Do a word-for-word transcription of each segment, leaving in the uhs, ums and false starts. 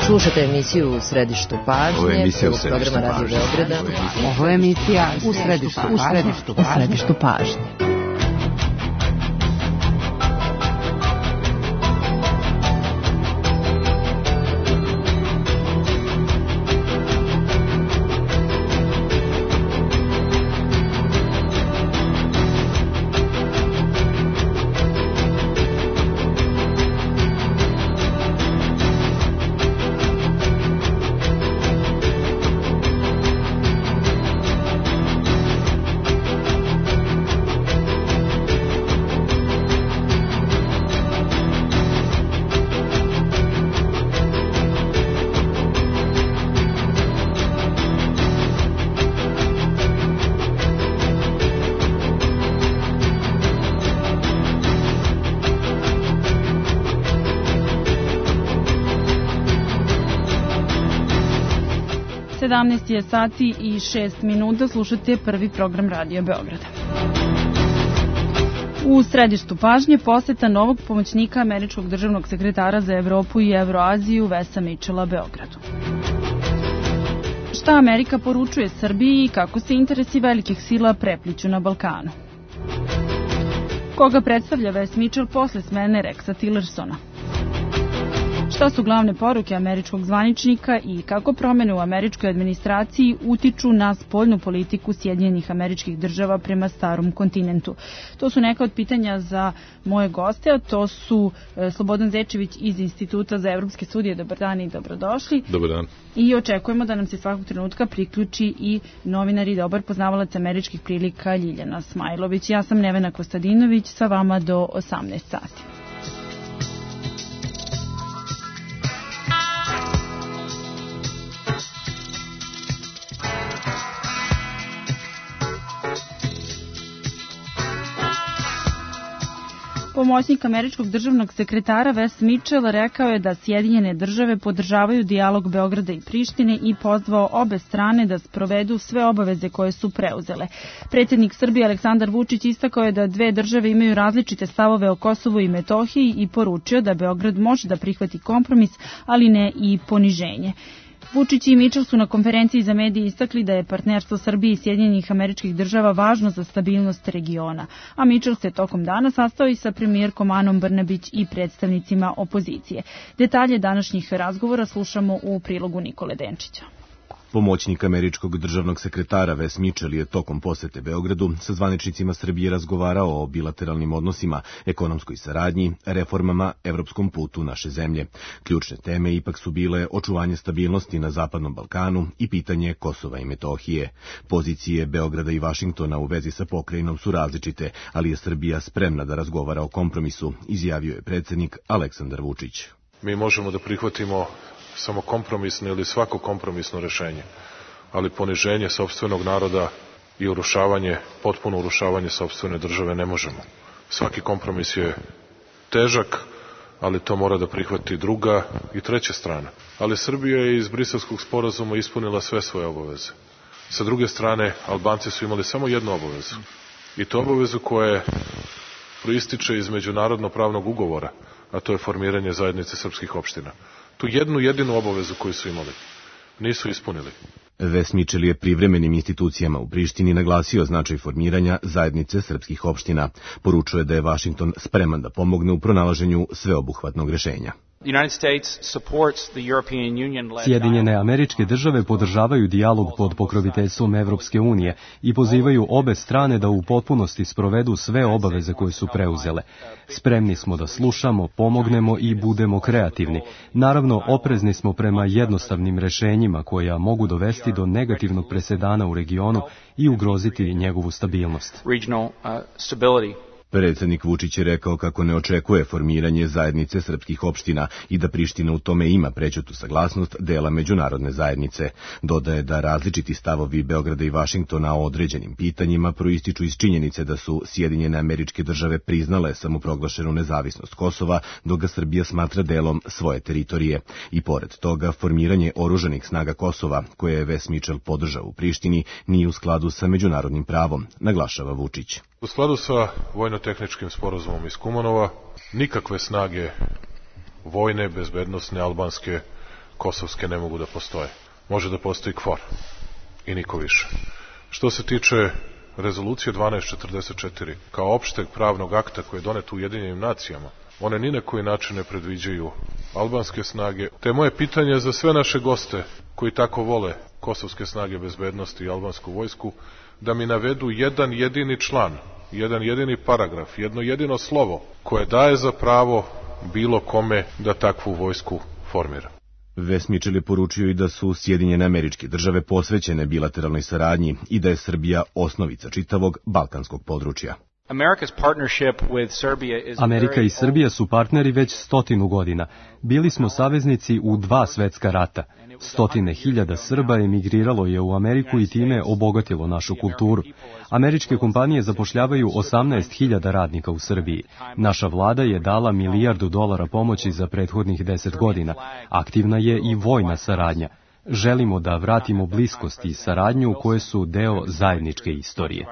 Slušate emisiju U središtu pažnje. Ovo je emisija U središtu pažnje. Radio Beograda. Ovo je emisija U središtu pažnje. U središtu pažnje. sedamnaest je sati i šest minuta, slušate prvi program Radio Beograda. U središtu pažnje poseta novog pomoćnika američkog državnog sekretara za Evropu i Evroaziju Wesa Mitchella Beogradu. Šta Amerika poručuje Srbiji i kako se interesi velikih sila prepliću na Balkanu? Koga predstavlja Wes Mitchell posle smene Rexa Tillersona? Šta su glavne poruke američkog zvaničnika i kako promene u američkoj administraciji utiču na spoljnu politiku Sjedinjenih Američkih Država prema starom kontinentu? To su neka od pitanja za moje goste, a to su Slobodan Zečević iz Instituta za evropske studije. Dobar dan i dobrodošli. Dobar dan. I očekujemo da nam se svakog trenutka priključi i novinar i dobar poznavalac američkih prilika Ljiljana Smajlović. Ja sam Nevena Kostadinović, sa vama do osamnaest sati. Pomoćnik američkog državnog sekretara Wes Mitchell rekao je da Sjedinjene države podržavaju dijalog Beograda i Prištine i pozvao obe strane da sprovedu sve obaveze koje su preuzele. Predsjednik Srbije Aleksandar Vučić istakao je da dve države imaju različite stavove o Kosovu i Metohiji i poručio da Beograd može da prihvati kompromis, ali ne i poniženje. Vučić i Mitchell su na konferenciji za medije istakli da je partnerstvo Srbije i Sjedinjenih Američkih Država važno za stabilnost regiona, a Mitchell se tokom dana sastao i sa premijerkom Anom Brnabić i predstavnicima opozicije. Detalje današnjih razgovora slušamo u prilogu Nikole Denčića. Pomoćnik američkog državnog sekretara Wes Mitchell je tokom posete Beogradu sa zvaničnicima Srbije razgovarao o bilateralnim odnosima, ekonomskoj saradnji, reformama, evropskom putu naše zemlje. Ključne teme ipak su bile očuvanje stabilnosti na Zapadnom Balkanu i pitanje Kosova i Metohije. Pozicije Beograda i Vašingtona u vezi sa pokrajinom su različite, ali je Srbija spremna da razgovara o kompromisu, izjavio je predsjednik Aleksandar Vučić. Mi možemo da prihvatimo samo kompromisno ili svako kompromisno rešenje, ali poniženje sopstvenog naroda i urušavanje, potpuno urušavanje sopstvene države ne možemo. Svaki kompromis je težak, ali to mora da prihvati druga i treća strana. Ali Srbija je iz Briselskog sporazuma ispunila sve svoje obaveze. Sa druge strane, Albanci su imali samo jednu obavezu. I to obavezu koja proističe iz međunarodno pravnog ugovora, a to je formiranje zajednice srpskih opština. Tu jednu jedinu obavezu koju su imali nisu ispunili. Wes Mitchell je privremenim institucijama u Prištini naglasio značaj formiranja zajednice srpskih opština. Poručuje da je Vašington spreman da pomogne u pronalaženju sveobuhvatnog rešenja. Sjedinjene Američke Države podržavaju dijalog pod pokroviteljstvom Evropske unije i pozivaju obe strane da u potpunosti sprovedu sve obaveze koje su preuzele. Spremni smo da slušamo, pomognemo i budemo kreativni. Naravno, oprezni smo prema jednostavnim rešenjima koja mogu dovesti do negativnog presedana u regionu i ugroziti njegovu stabilnost. Predsjednik Vučić je rekao kako ne očekuje formiranje zajednice srpskih opština i da Priština u tome ima prećutu saglasnost dela međunarodne zajednice. Dodaje da različiti stavovi Beograda i Vašingtona o određenim pitanjima proističu iz činjenice da su Sjedinjene Američke Države priznale samoproglašenu nezavisnost Kosova, dok ga Srbija smatra delom svoje teritorije. I pored toga, formiranje oružanih snaga Kosova, koje je Wes Mitchell podržao u Prištini, nije u skladu sa međunarodnim pravom, naglašava Vučić. U skladu sa vojno-tehničkim sporazumom iz Kumanova, nikakve snage vojne, bezbednosne, albanske kosovske ne mogu da postoje. Može da postoji K F O R i niko više. Što se tiče rezolucije dvanaest četrdeset četiri, kao opšteg pravnog akta koji je donet u Ujedinjenim nacijama, one ni na koji način ne predviđaju albanske snage. Te moje pitanje za sve naše goste koji tako vole kosovske snage bezbednosti i albansku vojsku, da mi navedu jedan jedini član, jedan jedini paragraf, jedno jedino slovo koje daje za pravo bilo kome da takvu vojsku formira. Wes Mitchell je poručio i da su Sjedinjene Američke Države posvećene bilateralnoj saradnji i da je Srbija osnovica čitavog balkanskog područja. Amerika i Srbija su partneri već stotinu godina. Bili smo saveznici u dva svetska rata. Stotine hiljada Srba emigriralo je u Ameriku i time obogatilo našu kulturu. Američke kompanije zapošljavaju osamnaest hiljada radnika u Srbiji. Naša vlada je dala milijardu dolara pomoći za prethodnih deset godina. Aktivna je i vojna saradnja. Želimo da vratimo bliskost i saradnju koje su deo zajedničke istorije.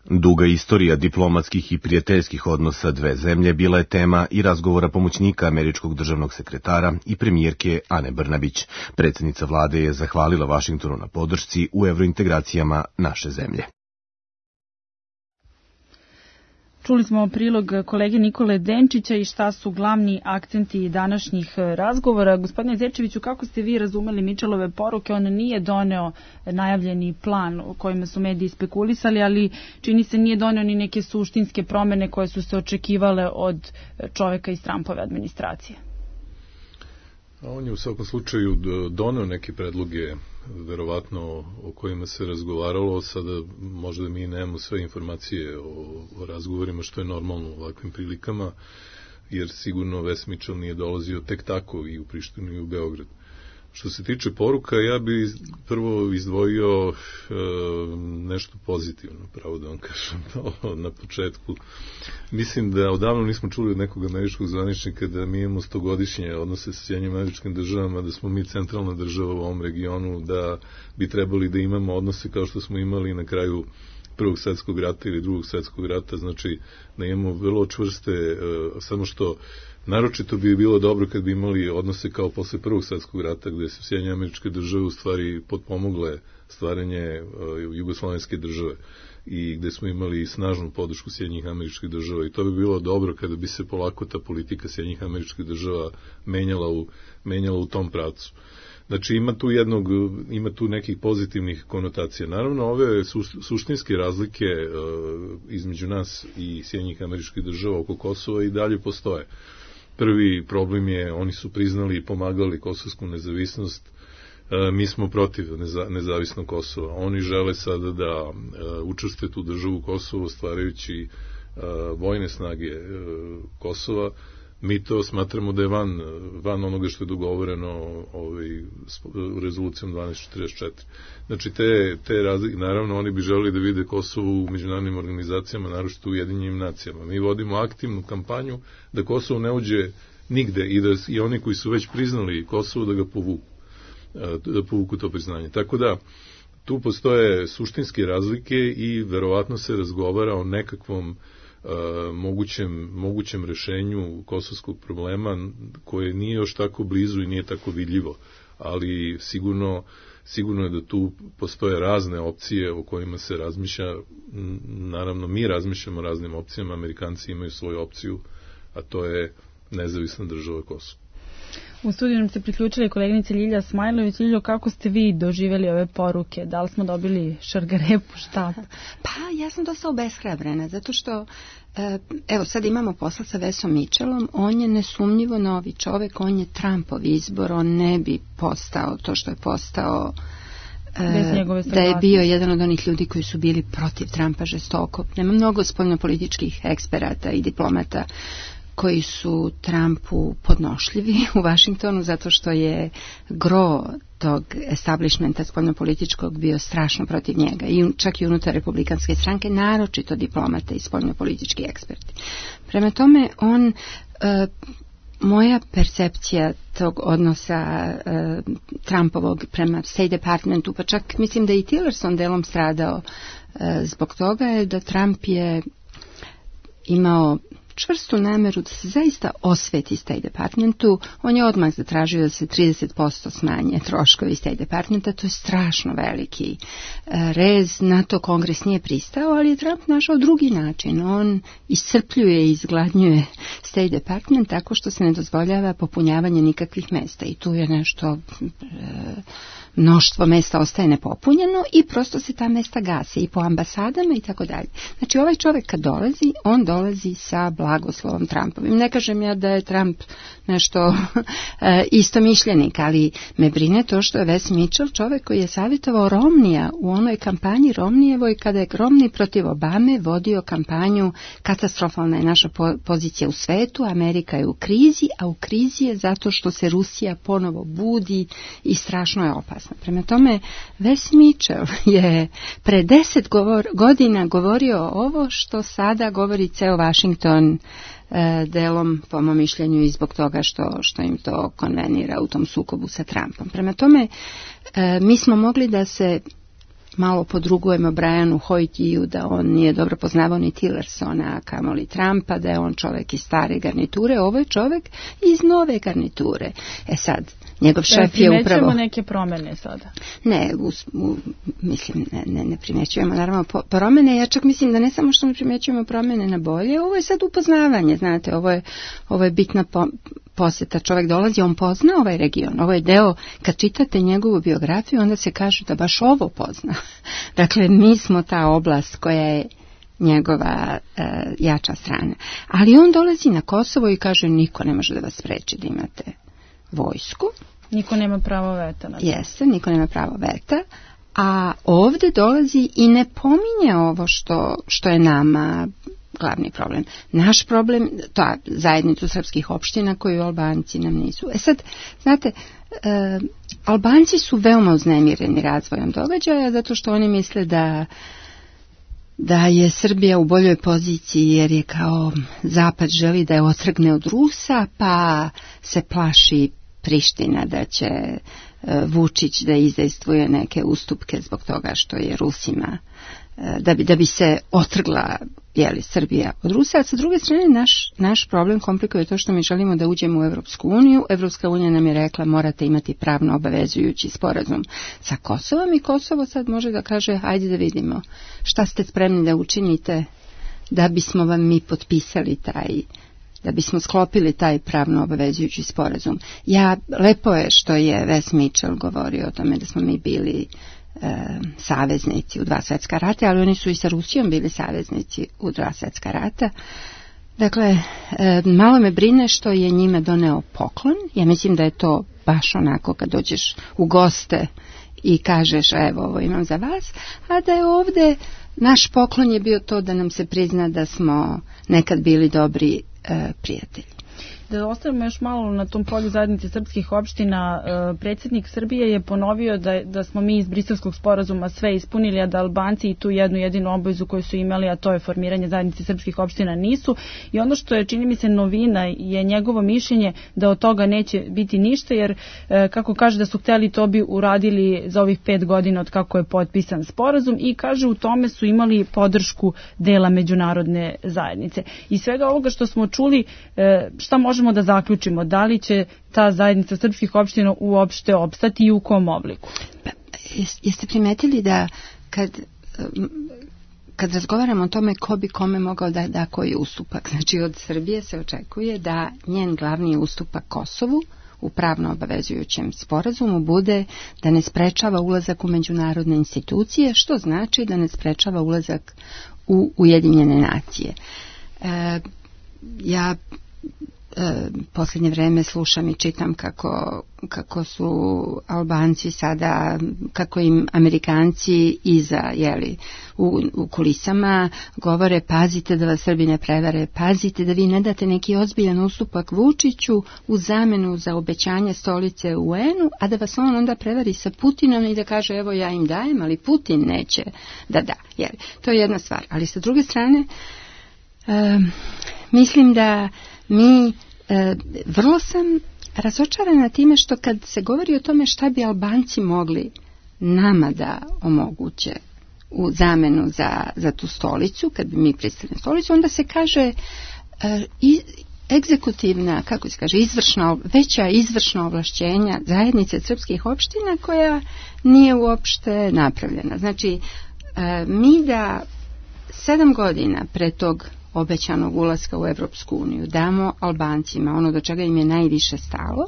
Duga istorija diplomatskih i prijateljskih odnosa dve zemlje bila je tema i razgovora pomoćnika američkog državnog sekretara i premijerke Ane Brnabić. Predsjednica vlade je zahvalila Vašingtonu na podršci u evrointegracijama naše zemlje. Čuli smo prilog kolege Nikole Denčića i šta su glavni akcenti današnjih razgovora. Gospodine Zečeviću, kako ste vi razumeli Mitchellove poruke? On nije doneo najavljeni plan o kojima su mediji spekulisali, ali čini se nije doneo ni neke suštinske promene koje su se očekivale od čoveka iz Trumpove administracije. A on je u svakom slučaju doneo neke predloge, verovatno o kojima se razgovaralo. Sada možda mi nemamo sve informacije o, o razgovorima, što je normalno u ovakvim prilikama, jer sigurno Wes Mitchell nije dolazio tek tako i u Prištinu i u Beograd. Što se tiče poruka, ja bi prvo izdvojio e, nešto pozitivno, pravo da vam kažem na početku. Mislim da odavno nismo čuli od nekog američkog zvaničnika da mi imamo stogodišnje odnose sa Sjedinjenim Američkim Državama, da smo mi centralna država u ovom regionu, da bi trebali da imamo odnose kao što smo imali na kraju Prvog svjetskog rata ili Drugog svjetskog rata, znači da imamo vrlo čvrste, e, samo što naročito bi bilo dobro kad bi imali odnose kao posle Prvog svjetskog rata, gde su Sjedinjene Američke Države u stvari potpomogle stvaranje uh, jugoslovenske države i gde smo imali snažnu podršku Sjedinjenih Američkih Država, i to bi bilo dobro kada bi se polako ta politika Sjedinjenih Američkih Država menjala u, menjala u tom pravcu. Znači ima tu jednog, ima tu nekih pozitivnih konotacija. Naravno, ove su, suštinske razlike uh, između nas i Sjedinjenih Američkih Država oko Kosova i dalje postoje. Prvi problem je, oni su priznali i pomagali kosovsku nezavisnost, e, mi smo protiv neza, nezavisnog Kosova. Oni žele sada da e, učestvuju tu državu Kosovo stvarajući e, vojne snage e, Kosova. Mi to smatramo da je van, van onoga što je dogovoreno ovaj, rezolucijom dvanaest četrdeset četiri. Znači, te, te razlike, naravno, oni bi želeli da vide Kosovo u međunarodnim organizacijama, naročito u Ujedinjenim nacijama. Mi vodimo aktivnu kampanju da Kosovo ne uđe nigde i da i oni koji su već priznali Kosovo da ga povuku, da povuku to priznanje. Tako da, tu postoje suštinske razlike i verovatno se razgovara o nekakvom Uh, mogućem, mogućem rešenju kosovskog problema koje nije još tako blizu i nije tako vidljivo, ali sigurno, sigurno je da tu postoje razne opcije o kojima se razmišlja. Naravno, mi razmišljamo o raznim opcijama, Amerikanci imaju svoju opciju, a to je nezavisna država Kosovo. U studiju nam se priključila koleginica Ljilja Smajlović. Ljiljo, kako ste vi doživjeli ove poruke? Da li smo dobili šargarepu, šta? Pa, ja sam dosta obeshrabrena, zato što, evo, sad imamo posla sa Wesom Mitchellom, on je nesumnjivo novi čovek, on je Trumpov izbor, on ne bi postao to što je postao, da je bio jedan od onih ljudi koji su bili protiv Trumpa žestoko. Nema mnogo spoljnopolitičkih eksperata i diplomata koji su Trumpu podnošljivi u Vašingtonu, zato što je gro tog establishmenta spoljnopolitičkog bio strašno protiv njega, i čak i unutar republikanske stranke, naročito diplomate i spoljnopolitički eksperti. Prema tome, on, e, moja percepcija tog odnosa e, Trumpovog prema State Departmentu, pa čak mislim da i Tillerson delom stradao e, zbog toga, je da Trump je imao čvrstu nameru da se zaista osveti State Departmentu. On je odmah zatražio da se trideset posto smanje troškovi State Departmenta. To je strašno veliki rez. Na to Kongres nije pristao, ali je Trump našao drugi način. On iscrpljuje i izgladnjuje State Department tako što se ne dozvoljava popunjavanje nikakvih mesta. I tu je nešto... mnoštvo mesta ostaje nepopunjeno i prosto se ta mesta gase i po ambasadama i tako dalje. Znači ovaj čovjek kad dolazi, on dolazi sa blagoslovom Trumpovim. Ne kažem ja da je Trump nešto istomišljenik, ali me brine to što je Wes Mitchell čovjek koji je savjetovao Romnija u onoj kampanji Romnijevoj kada je Romney protiv Obame vodio kampanju katastrofalna je naša pozicija u svetu, Amerika je u krizi, a u krizi je zato što se Rusija ponovo budi i strašno je opasna. Prema tome, Wes Mitchell je pre deset govor, godina govorio ovo što sada govori ceo Washington, e, delom, po mom mišljenju, i zbog toga što, što im to konvenira u tom sukobu sa Trumpom. Prema tome, e, mi smo mogli da se malo podrugujemo Brianu Hoytiju da on nije dobro poznavao ni Tillersona, a kamoli Trumpa, da je on čovjek iz stare garniture. Ovo je čovjek iz nove garniture. E sad, njegov šef je upravo... Primećujemo neke promjene sada? Ne, u, u, mislim, ne, ne, ne primećujemo naravno po, promjene. Ja čak mislim da ne samo što ne primećujemo promjene na bolje, ovo je sad upoznavanje, znate, ovo je, ovo je bitna po, posjeta. Čovjek dolazi, on pozna ovaj region. Ovo je deo, kad čitate njegovu biografiju, onda se kaže da baš ovo pozna. Dakle, mi smo ta oblast koja je njegova e, jača strana. Ali on dolazi na Kosovo i kaže niko ne može da vas spreči da imate vojsku. Niko nema pravo veta. Na to. Jeste, niko nema pravo veta. A ovdje dolazi i ne pominje ovo što, što je nama glavni problem. Naš problem, to je zajednicu srpskih opština koju Albanci nam nisu. E sad, znate, e, Albanci su veoma uznemireni razvojem događaja zato što oni misle da da je Srbija u boljoj poziciji jer je kao Zapad želi da je otrgne od Rusa, pa se plaši Priština da će e, Vučić da izdejstvuje neke ustupke zbog toga što je Rusima, e, da bi, da bi se otrgla jeli, Srbija od Rusa. A sa druge strane naš, naš problem komplikuje to što mi želimo da uđemo u Evropsku uniju. Evropska unija nam je rekla morate imati pravno obavezujući sporazum sa Kosovom i Kosovo sad može da kaže ajde da vidimo šta ste spremni da učinite da bismo vam mi potpisali taj, da bismo sklopili taj pravno obavezujući sporazum. Ja, lepo je što je Wes Mitchell govorio o tome da smo mi bili e, saveznici u dva svjetska rata, ali oni su i sa Rusijom bili saveznici u dva svjetska rata. Dakle, e, malo me brine što je njime doneo poklon. Ja mislim da je to baš onako kad dođeš u goste i kažeš evo ovo imam za vas, a da je ovdje naš poklon je bio to da nam se prizna da smo nekad bili dobri e, prijatelji. Da ostavimo još malo na tom polju zajednice srpskih opština, predsjednik Srbije je ponovio da, da smo mi iz Briselskog sporazuma sve ispunili, a da Albanci i tu jednu jedinu obavezu koju su imali, a to je formiranje zajednice srpskih opština, nisu. I ono što je, čini mi se, novina je njegovo mišljenje da od toga neće biti ništa, jer kako kaže da su hteli, to bi uradili za ovih pet godina od kako je potpisan sporazum, i kaže u tome su imali podršku dela međunarodne zajednice. I svega ovoga što smo čuli, šta možemo da zaključimo, da li će ta zajednica srpskih opština uopšte opstati i u kom obliku? Pa, jeste primetili da kad, kad razgovaramo o tome ko bi kome mogao da da koji ustupak, znači od Srbije se očekuje da njen glavni ustupak Kosovu u pravno obavezujućem sporazumu bude da ne sprečava ulazak u međunarodne institucije, što znači da ne sprečava ulazak u Ujedinjene nacije. E, ja E, posljednje vreme slušam i čitam kako, kako su Albanci sada, kako im Amerikanci iza, jeli, u, u kulisama govore pazite da vas Srbi ne prevare, pazite da vi ne date neki ozbiljan ustupak Vučiću u zamenu za obećanje stolice u U N-u, a da vas on onda prevari sa Putinom i da kaže evo ja im dajem, ali Putin neće da da. Jeli, to je jedna stvar. Ali sa druge strane, e, mislim da mi, e, vrlo sam razočarana time što kad se govori o tome šta bi Albanci mogli nama da omoguće u zamenu za, za tu stolicu, kad bi mi pristali na stolicu, onda se kaže i egzekutivna, kako se kaže, izvršna, veća izvršna ovlašćenja zajednice srpskih opština koja nije uopšte napravljena. Znači, mi da sedam godina pre tog obećanog ulaska u Evropsku uniju damo Albancima ono do čega im je najviše stalo,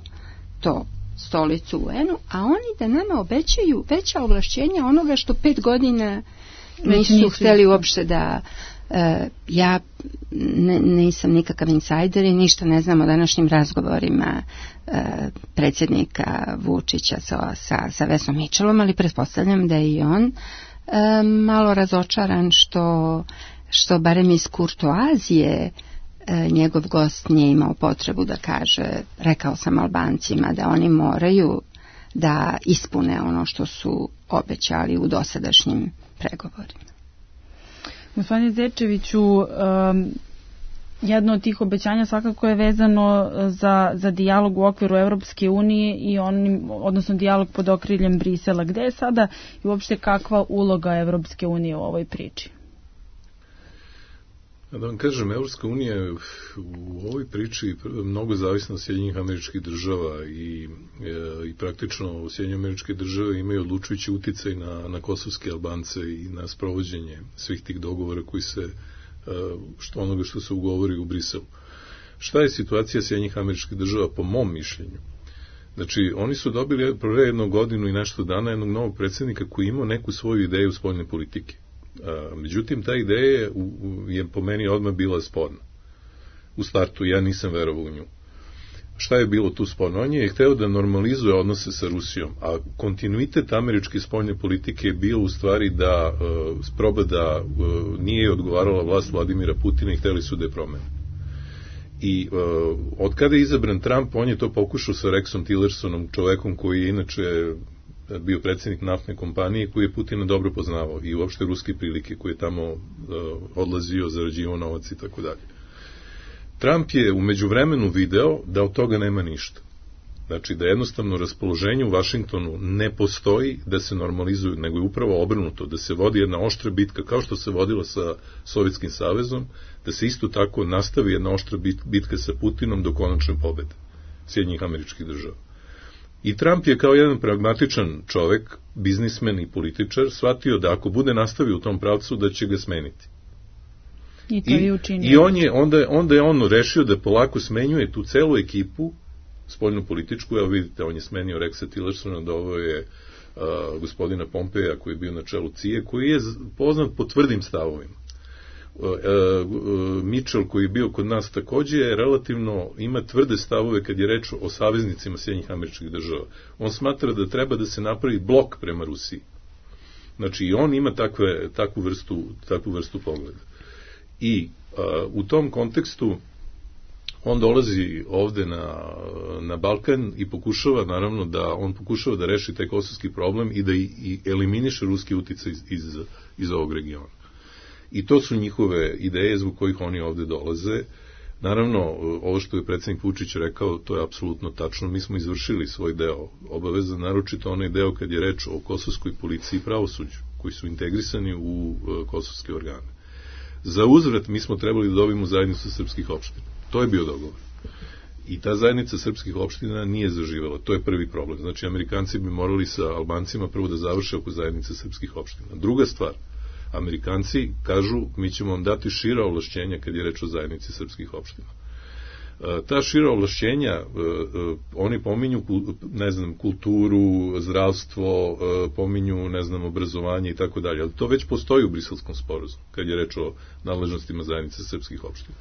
to stolicu u U N-u, a oni da nama obećaju veća ovlašćenja onoga što pet godina nisu, nisu hteli uopšte da Uh, ja ne, nisam nikakav insajder i ništa ne znam o današnjim razgovorima uh, predsjednika Vučića sa, sa, sa Vesom Mitchellom, ali pretpostavljam da je i on uh, malo razočaran što, što barem iz kurtoazije uh, njegov gost nije imao potrebu da kaže, rekao sam Albancima da oni moraju da ispune ono što su obećali u dosadašnjim pregovorima. Gospodine Zečeviću, um, jedno od tih obećanja svakako je vezano za, za dijalog u okviru Evropske unije i onim, odnosno dijalog pod okriljem Brisela. Gde je sada i uopšte kakva uloga Evropske unije u ovoj priči? Da vam kažem, Evropska unija u ovoj priči mnogo zavisna od Sjedinjenih Američkih Država i, i praktično Sjedinjene Američke Države imaju odlučujući uticaj na, na kosovske Albance i na sprovođenje svih tih dogovora koji se, što onoga što se ugovori u Briselu. Šta je situacija Sjedinjenih Američkih Država po mom mišljenju? Znači, oni su dobili pre jednu godinu i nešto dana jednog novog predsjednika koji imao neku svoju ideju spoljne politike. A, međutim, ta ideja je, je po meni odmah bila sporna. U startu ja nisam verovao u nju. Šta je bilo tu sporno? On je hteo da normalizuje odnose sa Rusijom, a kontinuitet američke spoljne politike je bio u stvari da uh, proba da uh, nije odgovarala vlast Vladimira Putina i hteli su da je promene. I uh, od kada je izabran Trump, on je to pokušao sa Rexom Tillersonom, čovekom koji je inače bio predsjednik naftne kompanije, koji je Putina dobro poznavao i uopšte ruske prilike, koji je tamo uh, odlazio, zarađivao novac i tako dalje. Trump je u međuvremenu video da od toga nema ništa. Znači da jednostavno raspoloženje u Vašingtonu ne postoji da se normalizuju, nego je upravo obrnuto, da se vodi jedna oštra bitka kao što se vodila sa Sovjetskim savezom, da se isto tako nastavi jedna oštra bitka sa Putinom do konačne pobede Sjedinjenih Američkih Država. I Trump je kao jedan pragmatičan čovek, biznismen i političar, shvatio da ako bude nastavio u tom pravcu, da će ga smeniti. I to je učinio. I on je, onda, onda je on rešio da polako smenjuje tu celu ekipu, spoljnu političku, evo vidite, on je smenio Rexa Tillersona, da ovo je uh, gospodina Pompeja koji je bio na čelu C I A, koji je poznat po tvrdim stavovima. Uh, uh, Mitchell koji je bio kod nas takođe je relativno, ima tvrde stavove kad je reč o saveznicima Sjedinjenih Američkih Država. On smatra da treba da se napravi blok prema Rusiji. Znači i on ima takve, takvu, vrstu, takvu vrstu pogleda. I uh, u tom kontekstu on dolazi ovde na, na Balkan i pokušava, naravno, da on pokušava da reši taj kosovski problem i da i, i eliminiše ruski uticaj iz, iz, iz ovog regiona. I to su njihove ideje zbog kojih oni ovde dolaze. Naravno, ovo što je predsjednik Vučić rekao, to je apsolutno tačno. Mi smo izvršili svoj deo obaveza, naročito onaj deo kad je reč o kosovskoj policiji i pravosuđu, koji su integrisani u uh, kosovske organe. Za uzvrat mi smo trebali da dobijemo zajednicu srpskih opština. To je bio dogovor. I ta zajednica srpskih opština nije zaživela. To je prvi problem. Znači, Amerikanci bi morali sa Albancima prvo da završe oko zajednice srpskih opština. Druga stvar, Amerikanci kažu mi ćemo vam dati šira ovlašćenja kad je reč o zajednici srpskih opština. Ta šira ovlašćenja, oni pominju, ne znam, kulturu, zdravstvo, pominju, ne znam, obrazovanje i tako dalje, ali to već postoji u Briselskom sporazumu, kad je reč o nadležnostima zajednice srpskih opština.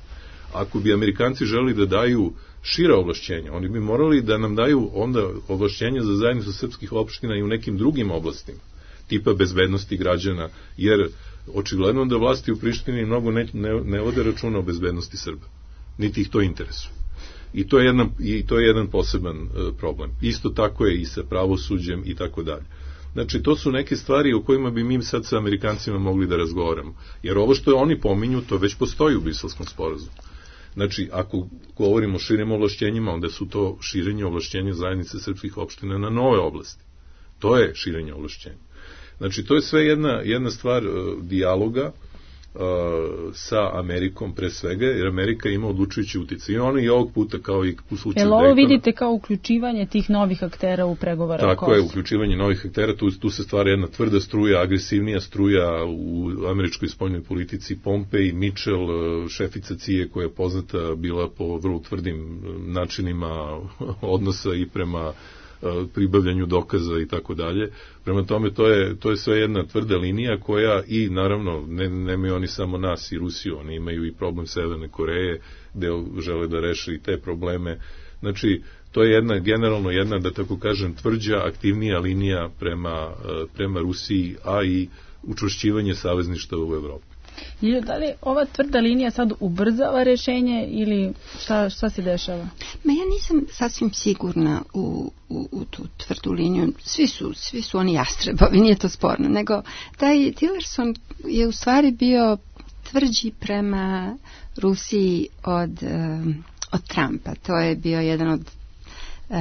Ako bi Amerikanci želi da daju šira ovlašćenja, oni bi morali da nam daju onda ovlašćenja za zajednicu srpskih opština i u nekim drugim oblastima, tipa bezbednosti građana, jer očigledno da vlasti u Prištini mnogo ne, ne, ne vode računa o bezbednosti Srba. Niti ih to interesuje. I to je jedan, i to je jedan poseban uh, problem. Isto tako je i sa pravosuđem i tako dalje. Znači, to su neke stvari o kojima bi mi sad sa Amerikancima mogli da razgovaramo. Jer ovo što oni pominju, to već postoji u Briselskom sporazumu. Znači, ako govorimo o širim ovlašćenjima, onda su to širenje ovlašćenja zajednice srpskih opština na nove oblasti. To je širenje ovlašćenja. Znači, to je sve jedna, jedna stvar uh, dijaloga sa Amerikom pre svega, jer Amerika ima odlučujući uticaj. I ono i ovog puta, kao i u slučaju Daytona. Jel ovo vidite kao uključivanje tih novih aktera u pregovore? Tako je, uključivanje novih aktera, tu, tu se stvara jedna tvrda struja, agresivnija struja u američkoj spoljnoj politici. Pompej, Mitchell, šefica C I A koja je poznata bila po vrlo tvrdim načinima odnosa i prema pribavljanju dokaza i tako dalje. Prema tome, to je, to je sve jedna tvrda linija koja i naravno, ne, nemaju oni samo nas i Rusiju, oni imaju i problem Severne Koreje, gde žele da reše i te probleme. Znači, to je jedna, generalno jedna, da tako kažem, tvrđa, aktivnija linija prema, prema Rusiji, a i učvršćivanje savezništva u Evropi. I da li ova tvrda linija sad ubrzava rešenje ili šta, šta se dešava? Ma ja nisam sasvim sigurna u, u, u tu tvrdu liniju. Svi su, svi su oni jastrebovi, nije to sporno. Nego taj Tillerson je u stvari bio tvrđi prema Rusiji od, od Trumpa. To je bio jedan od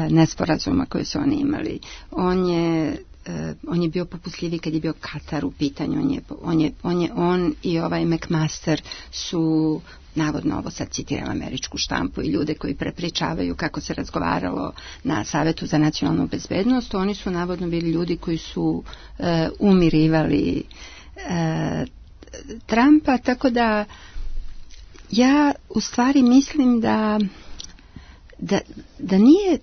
nesporazuma koje su oni imali. On je on je bio popustljiviji kad je bio Katar u pitanju, on je, on je, on je on i ovaj McMaster su, navodno ovo sad citiram američku štampu i ljude koji prepričavaju kako se razgovaralo na Savetu za nacionalnu bezbednost, oni su navodno bili ljudi koji su e, umirivali e, Trumpa, tako da ja u stvari mislim da da, da nije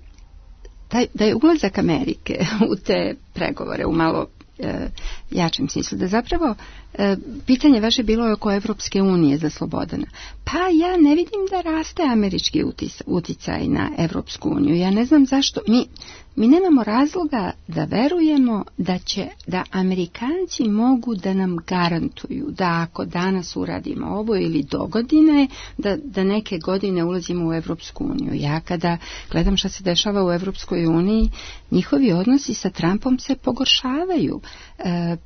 Taj, da je ulazak Amerike u te pregovore u malo e, jačem smislu, da zapravo e, pitanje vaše bilo je oko Evropske unije za Slobodana. Pa ja ne vidim da raste američki utis, uticaj na Evropsku uniju. Ja ne znam zašto. Mi, mi nemamo razloga da verujemo da će, da Amerikanci mogu da nam garantuju da ako danas uradimo ovo ili do godine, da, da neke godine ulazimo u Evropsku uniju. Ja kada gledam šta se dešava u Evropskoj uniji, njihovi odnosi sa Trumpom se pogoršavaju. E,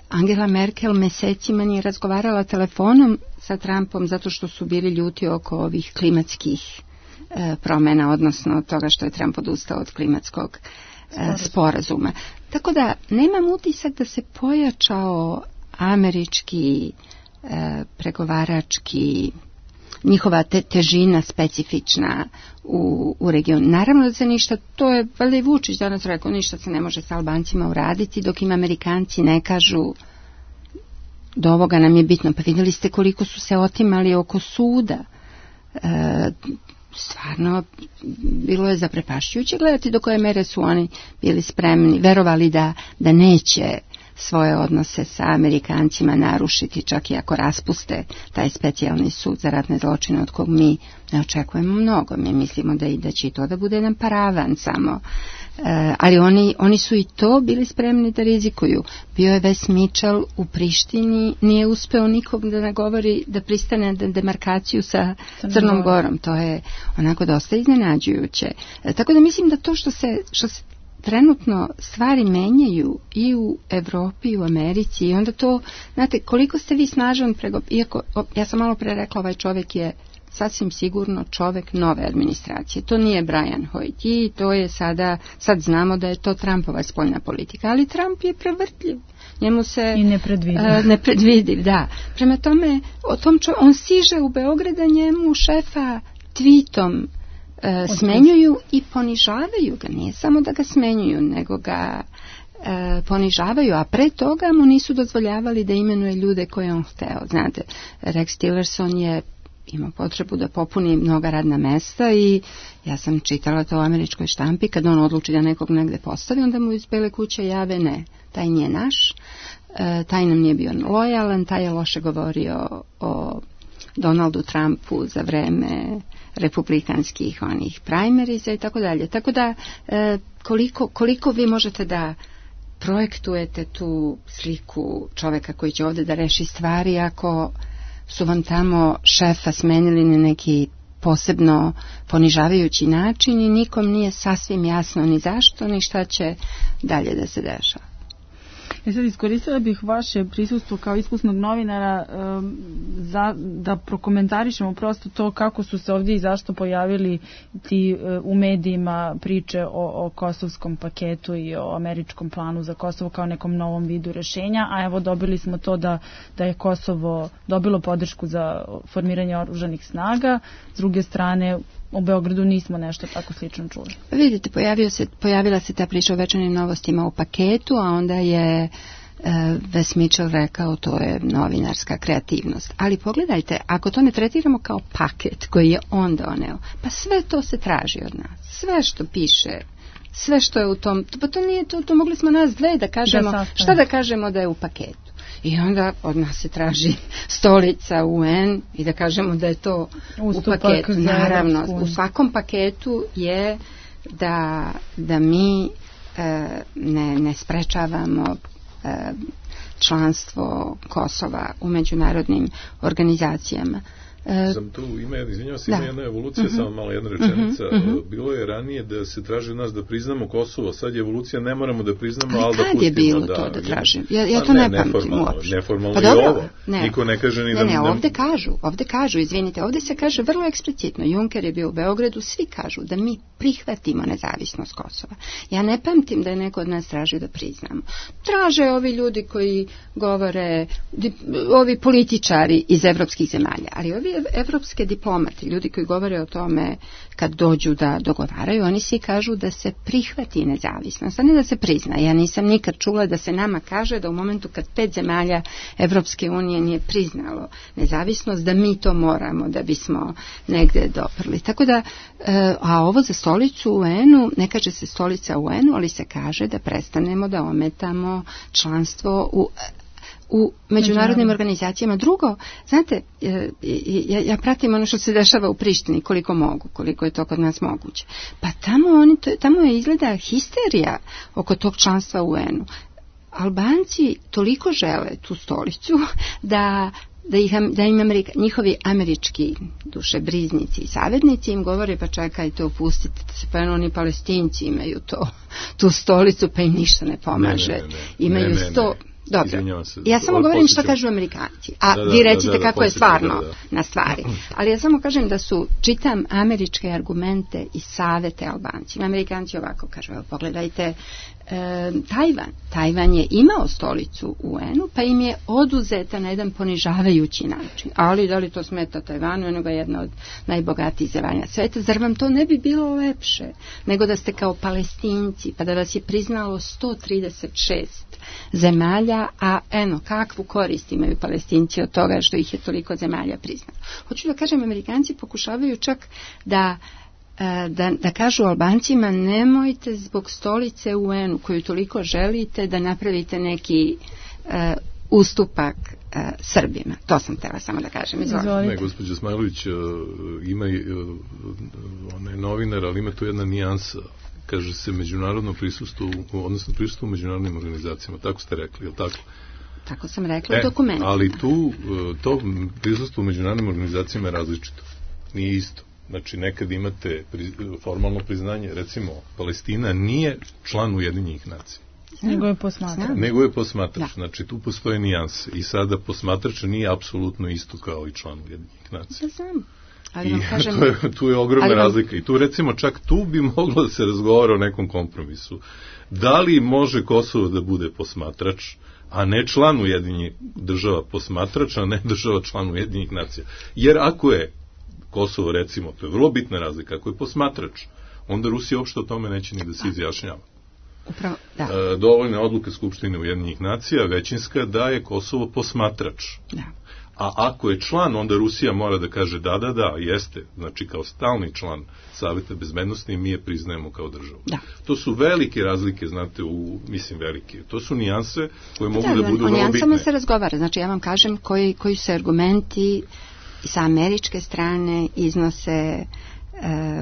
Angela Merkel mesecima nije razgovarala telefonom sa Trumpom zato što su bili ljuti oko ovih klimatskih e, promjena, odnosno toga što je Trump odustao od klimatskog e, sporazuma. Tako da nemam utisak da se pojačao američki e, pregovarački njihova te, težina specifična u, u regionu. Naravno da se ništa, to je valjda i Vučić danas rekao, ništa se ne može sa Albancima uraditi dok im Amerikanci ne kažu do ovoga nam je bitno. Pa vidjeli ste koliko su se otimali oko suda. E, stvarno bilo je zaprepašćujuće gledati do koje mere su oni bili spremni, verovali da, da neće svoje odnose sa Amerikancima narušiti, čak i ako raspuste taj specijalni sud za ratne zločine od kog mi ne očekujemo mnogo. Mi mislimo da i da će i to da bude jedan paravan samo. E, ali oni, oni su i to bili spremni da rizikuju. Bio je Wes Mitchell u Prištini, nije uspeo nikog da nagovori da pristane na demarkaciju sa Crnom Gorom. To je onako dosta iznenađujuće. E, tako da mislim da to što se, što se trenutno stvari menjaju i u Evropi i u Americi i onda to, znate, koliko ste vi snažan prego, iako, ja sam malo pre rekla, ovaj čovjek je sasvim sigurno čovjek nove administracije. To nije Brian Hoyt i to je sada, sad znamo da je to Trumpova spoljna politika, ali Trump je prevrtljiv. Njemu se i nepredvidiv. Uh, nepredvidiv, da. Prema tome, o tom čo, on stiže u Beograda, njemu šefa tweetom E, smenjuju i ponižavaju ga, nije samo da ga smenjuju, nego ga e, ponižavaju, a pre toga mu nisu dozvoljavali da imenuje ljude koje on hteo. Znate, Rex Tillerson je imao potrebu da popuni mnoga radna mesta i ja sam čitala to u američkoj štampi, kad on odluči da nekog negde postavi, onda mu iz Bele kuće jave ne, taj nije naš, e, taj nam nije bio lojalan, taj je loše govorio o Donaldu Trumpu za vreme republikanskih onih primariza i tako dalje. Tako da e, koliko, koliko vi možete da projektujete tu sliku čoveka koji će ovdje da reši stvari ako su vam tamo šefa smenili na neki posebno ponižavajući način i nikom nije sasvim jasno ni zašto ni šta će dalje da se dešava. E sad iskoristila bih vaše prisustvo kao iskusnog novinara um, za, da prokomentarišemo prosto to kako su se ovdje i zašto pojavili ti uh, u medijima priče o, o kosovskom paketu i o američkom planu za Kosovo kao nekom novom vidu rešenja, a evo dobili smo to da, da je Kosovo dobilo podršku za formiranje oružanih snaga, s druge strane u Beogradu nismo nešto tako slično čuli. Vidite, pojavio se, pojavila se ta priča o večernjim novostima u paketu, a onda je uh, Wes Mitchell rekao to je novinarska kreativnost. Ali pogledajte, ako to ne tretiramo kao paket koji je on doneo, pa sve to se traži od nas. Sve što piše, sve što je u tom, pa to nije to, to mogli smo nas dve da kažemo, da šta da kažemo da je u paketu. I onda od nas se traži stolica U N i da kažemo da je to ustupak u paketu. Naravno, u svakom paketu je da, da mi e, ne, ne sprečavamo e, članstvo Kosova u međunarodnim organizacijama. Sam tu, ima, izvinjavam se, ima jedna evolucija, uh-huh. samo malo jedna rečenica. Uh-huh. Bilo je ranije da se traži od nas da priznamo Kosovo, sad je evolucija, ne moramo da priznamo, ali, ali da pustimo. Kad je bilo da, to da tražim? Ja, ja to ne, ne pamtim uopšte. Neformalno pa je ovo. Ne. Niko ne kaže ni ne, da... Ne, ne, ovde kažu, ovde kažu, izvinite, ovde se kaže vrlo eksplicitno, Juncker je bio u Beogradu, svi kažu da mi prihvatimo nezavisnost Kosova. Ja ne pamtim da je neko od nas tražio da priznamo. Traže ovi ljudi koji govore, ovi političari iz evropskih zemalja, ali ovi evropske diplomati, ljudi koji govore o tome kad dođu da dogovaraju, oni svi kažu da se prihvati nezavisnost, a ne da se prizna. Ja nisam nikad čula da se nama kaže da u momentu kad pet zemalja Evropske unije nije priznalo nezavisnost, da mi to moramo da bismo negde doprli. Tako da, a ovo za stolicu u U N-u, ne kaže se stolica u U N-u, ali se kaže da prestanemo da ometamo članstvo u u međunarodnim organizacijama. Drugo, znate, ja, ja pratim ono što se dešava u Prištini, koliko mogu, koliko je to kod nas moguće. Pa tamo, oni, tamo je izgleda histerija oko tog članstva u U N-u. Albanci toliko žele tu stolicu da da, ih, da im Amerika, njihovi američki dušebriznici i savjetnici im govore pa čekajte, opustite se, pa oni Palestinci imaju to, tu stolicu, pa im ništa ne pomaže. Ne, ne, ne, imaju ne, ne, sto... Ne. Dobro, se, ja samo govorim što kažu Amerikanci, a da, da, vi recite da, da, kako da, je stvarno da, da. na stvari. Ali ja samo kažem da su, čitam američke argumente i savete Albancima. Amerikanci ovako kažu, evo pogledajte, e, Tajvan. Tajvan je imao stolicu u U N-u, pa im je oduzeta na jedan ponižavajući način. Ali da li to smeta Tajvanu, eno ga jedna od najbogatijih zemalja sveta, zar vam to ne bi bilo lepše nego da ste kao Palestinci, pa da vas je priznalo sto trideset šest zemalja, a eno, kakvu korist imaju Palestinci od toga što ih je toliko zemalja priznalo. Hoću da kažem, Amerikanci pokušavaju čak da, da, da kažu Albancima, nemojte zbog stolice u U N-u koju toliko želite da napravite neki uh, ustupak uh, Srbima. To sam htjela samo da kažem. Izvolite. Ne, gospođa Smajlović uh, ima uh, ona je novinar, ali ima tu jedna nijansa. Kaže se međunarodno prisustvo, odnosno prisustvo u međunarodnim organizacijama. Tako ste rekli, je li tako? Tako sam rekla e, u dokumentima. Ali tu, to prisustvo u međunarodnim organizacijama je različito. Nije isto. Znači, nekad imate pri, formalno priznanje, recimo, Palestina nije član Ujedinjenih nacija. Nego je posmatrač. Nego je posmatrač. Da. Znači, tu postoje nijanse. I sada posmatrač nije apsolutno isto kao i član Ujedinjenih nacija. Da znam. I kažem, to je, tu je ogromna ali, razlika. I tu recimo čak tu bi moglo da se razgovara o nekom kompromisu. Da li može Kosovo da bude posmatrač, a ne član Ujedinjenih država posmatrač, a ne država član Ujedinjenih nacija? Jer ako je Kosovo, recimo, to je vrlo bitna razlika, ako je posmatrač, onda Rusija uopšte o tome neće ni da se izjašnjava. Upravo, da. E, dovoljne odluke Skupštine Ujedinjenih nacija, većinska, da je Kosovo posmatrač. Da. A ako je član, onda Rusija mora da kaže da, da, da, jeste. Znači, kao stalni član Saveta bezbednosti mi je priznajemo kao državu. Da. To su velike razlike, znate, u, mislim velike. To su nijanse koje mogu da, da budu vrlo bitne. O nijansama se razgovara. Znači, ja vam kažem koji, koji se argumenti sa američke strane iznose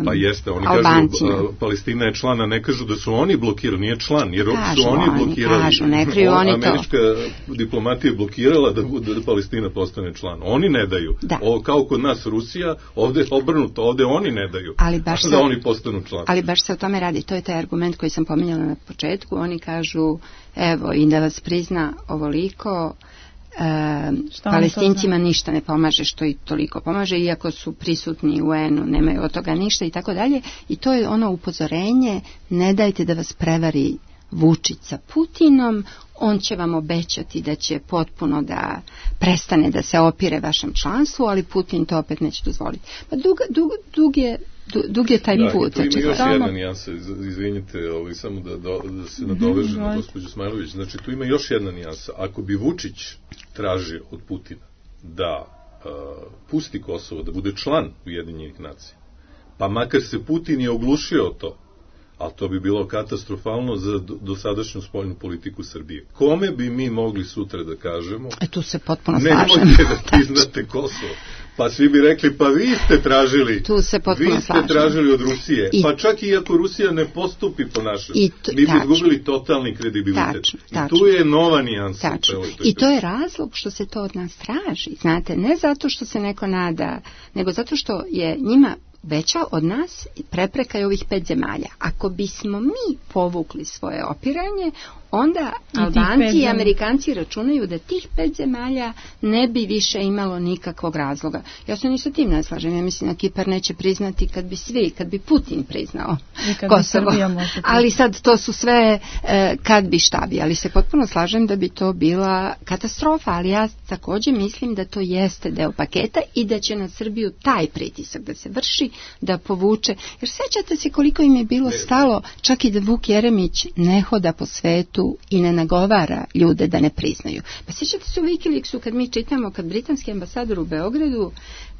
Pa jeste, oni Albancima. Kažu, Palestina je član, a ne kažu da su oni blokirali, nije član, jer kažu, su oni blokirali. Kažu, ne kriju on, oni američka to. Američka diplomatija je blokirala da, da Palestina postane član. Oni ne daju. Da. O, kao kod nas Rusija, ovde obrnuto, ovde oni ne daju. Ali baš da se, oni postanu član. Ali baš se o tome radi. To je taj argument koji sam pominjala na početku. Oni kažu, evo, i da vas prizna ovoliko, E, Palestincima ništa ne pomaže što i toliko pomaže, iako su prisutni u U N-u, nemaju od toga ništa i tako dalje. I to je ono upozorenje, ne dajte da vas prevari Vučić sa Putinom, on će vam obećati da će potpuno da prestane da se opire vašem članstvu, ali Putin to opet neće dozvoliti. Pa dug, dug, dug je dug je taj da, put. Da, tu ima još stalno... jedna nijansa, izvinite, ovaj, samo da, da, da se nadoveže na gospođu Smajlović. Znači, tu ima još jedna nijansa. Ako bi Vučić tražio od Putina da uh, pusti Kosovo, da bude član Ujedinjenih nacija, pa makar se Putin je oglušio o to, ali to bi bilo katastrofalno za dosadašnju spoljnu politiku Srbije. Kome bi mi mogli sutra da kažemo? E tu se potpuno slažem. Nemojte da priznate Kosovo. Pa svi bi rekli, pa vi ste tražili, tu se potpuno vi ste slažem. tražili od Rusije. I, pa čak i ako Rusija ne postupi po našem, mi bi izgubili totalni kredibilitet. Tačno, I tačno. tu je nova nijansa. I to je razlog što se to od nas traži. Znate, ne zato što se neko nada, nego zato što je njima veća od nas prepreka je ovih pet zemalja. Ako bismo mi povukli svoje opiranje, onda I Albanci i Amerikanci računaju da tih pet zemalja ne bi više imalo nikakvog razloga. Ja se ni sa tim ne slažem. Ja mislim da Kipar neće priznati kad bi svi, kad bi Putin priznao Kosovo. Ali sad to su sve eh, kad bi šta bi. Ali se potpuno slažem da bi to bila katastrofa. Ali ja također mislim da to jeste deo paketa i da će na Srbiju taj pritisak da se vrši, da povuče. Jer sećate se koliko im je bilo stalo čak i da Vuk Jeremić ne hoda po svetu i ne nagovara ljude da ne priznaju. Pa sjećate se u Wikileaksu kad mi čitamo, kad britanski ambasador u Beogradu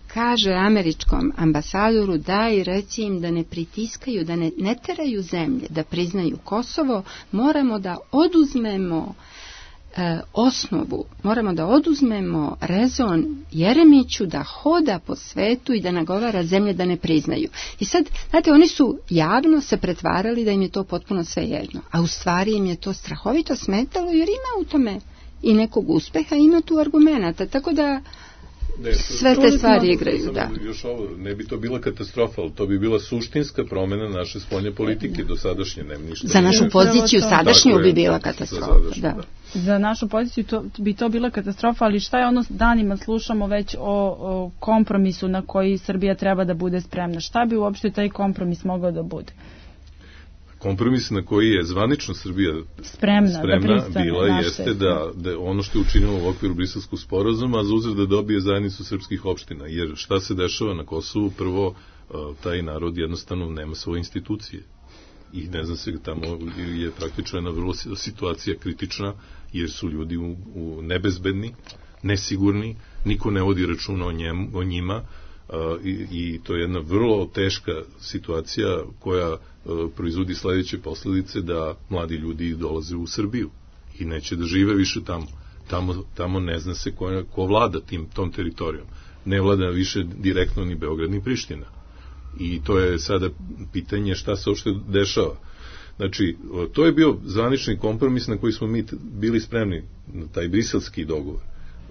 kaže američkom ambasadoru daj reci im da ne pritiskaju, da ne, ne teraju zemlje, da priznaju Kosovo, moramo da oduzmemo e, osnovu, moramo da oduzmemo rezon Jeremiću da hoda po svetu i da nagovara zemlje da ne priznaju. I sad, znate, oni su javno se pretvarali da im je to potpuno svejedno, a u stvari im je to strahovito smetalo jer ima u tome i nekog uspeha, ima tu argumenata, tako da Ne, sve te stvari igraju, da. Još ovo, ne bi to bila katastrofa, ali to bi bila suštinska promjena naše spoljne politike do sadašnje, nema ništa. Za našu poziciju sadašnju bi bila katastrofa, sadašnju, da. da. Za našu poziciju to, bi to bila katastrofa, ali šta je ono, danima slušamo već o, o kompromisu na koji Srbija treba da bude spremna. Šta bi uopšte taj kompromis mogao da bude? Kompromis na koji je zvanično Srbija spremna, spremna da bila jeste da, da ono što je učinilo u okviru Briselskog sporazuma, a za uzor da dobije zajednicu srpskih opština. Jer šta se dešava na Kosovu? Prvo, taj narod jednostavno nema svoje institucije. I ne znam se, tamo je praktično jedna vrlo situacija kritična, jer su ljudi u, u nebezbedni, nesigurni, niko ne vodi računa o, njem, o njima, Uh, i, i to je jedna vrlo teška situacija koja uh, proizvodi sledeće posljedice da mladi ljudi dolaze u Srbiju i neće da žive više tamo. Tamo, tamo ne zna se ko, ko vlada tim, tom teritorijom. Ne vlada više direktno ni Beograd ni Priština. I to je sada pitanje šta se uopšte dešava. Znači, to je bio zvanični kompromis na koji smo mi bili spremni, na taj briselski dogovor.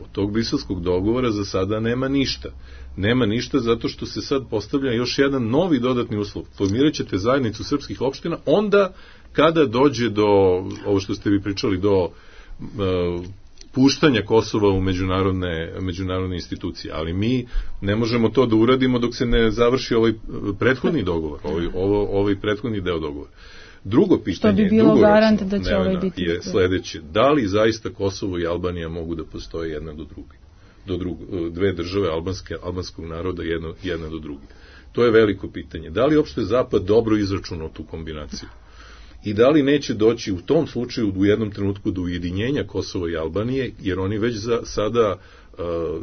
Od tog briselskog dogovora za sada nema ništa. Nema ništa zato što se sad postavlja još jedan novi dodatni uslov. Formirat ćete zajednicu srpskih opština onda kada dođe do, ovo što ste vi pričali, do uh, puštanja Kosova u međunarodne, međunarodne institucije. Ali mi ne možemo to da uradimo dok se ne završi ovaj prethodni dogovor, ovaj, ovo, ovaj prethodni deo dogovora. Drugo pitanje, bi garant da će ovaj biti je sledeće. Da li zaista Kosovo i Albanija mogu da postoje jedna do druge? Do druge, dve države albanske, albanskog naroda jedna, jedna do druge. To je veliko pitanje. Da li uopšte Zapad dobro izračunao tu kombinaciju? I da li neće doći u tom slučaju u jednom trenutku do ujedinjenja Kosova i Albanije, jer oni već za, sada uh,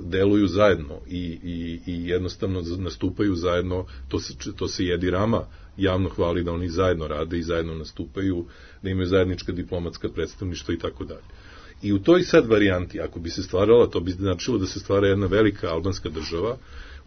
deluju zajedno i, i, i jednostavno nastupaju zajedno, to se, to se Edi Rama javno hvali da oni zajedno rade i zajedno nastupaju, da imaju zajednička diplomatska predstavništva i tako dalje. I u toj sad varijanti, ako bi se stvarala, to bi značilo da se stvara jedna velika albanska država,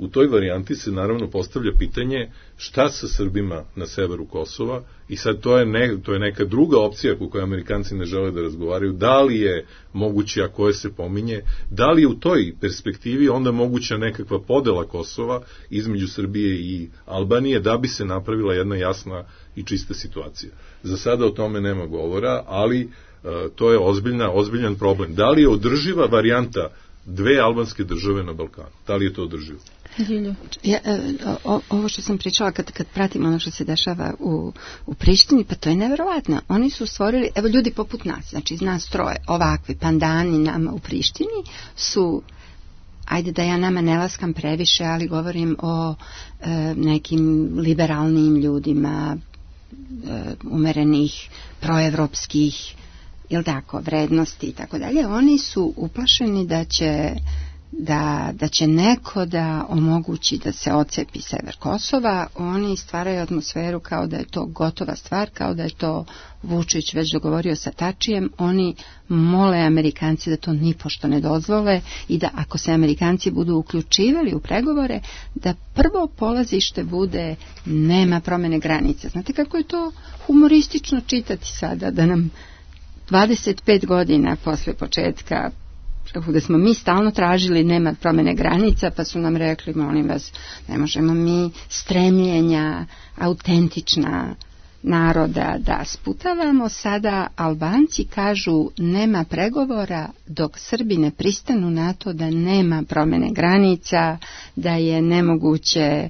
u toj varijanti se naravno postavlja pitanje šta sa Srbima na severu Kosova, i sad to je, ne, to je neka druga opcija po kojoj Amerikanci ne žele da razgovaraju, da li je moguće, a koje se pominje, da li je u toj perspektivi onda moguća nekakva podela Kosova između Srbije i Albanije, da bi se napravila jedna jasna i čista situacija. Za sada o tome nema govora, ali uh, to je ozbiljna, ozbiljan problem. Da li je održiva varijanta dve albanske države na Balkanu? Da li je to održivo? Ja, o, ovo što sam pričala kad, kad pratim ono što se dešava u, u Prištini, pa to je neverovatno. Oni su stvorili, evo ljudi poput nas, znači iz nas troje, ovakvi pandani nama u Prištini su, ajde da ja nama ne laskam previše, ali govorim o e, nekim liberalnim ljudima, e, umerenih, proevropskih, jel tako, vrednosti i tako dalje. Oni su uplašeni da će Da, da će neko da omogući da se ocepi sever Kosova. Oni stvaraju atmosferu kao da je to gotova stvar, kao da je to Vučić već dogovorio sa Tačijem. Oni mole Amerikanci da to nipošto ne dozvole i da ako se Amerikanci budu uključivali u pregovore, da prvo polazište bude nema promene granica. Znate kako je to humoristično čitati sada, da nam dvadeset pet godina posle početka, da smo mi stalno tražili nema promene granica, pa su nam rekli, molim vas, ne možemo mi stremljenja autentična naroda da sputavamo. Sada Albanci kažu nema pregovora dok Srbi ne pristanu na to da nema promene granica, da je nemoguće e,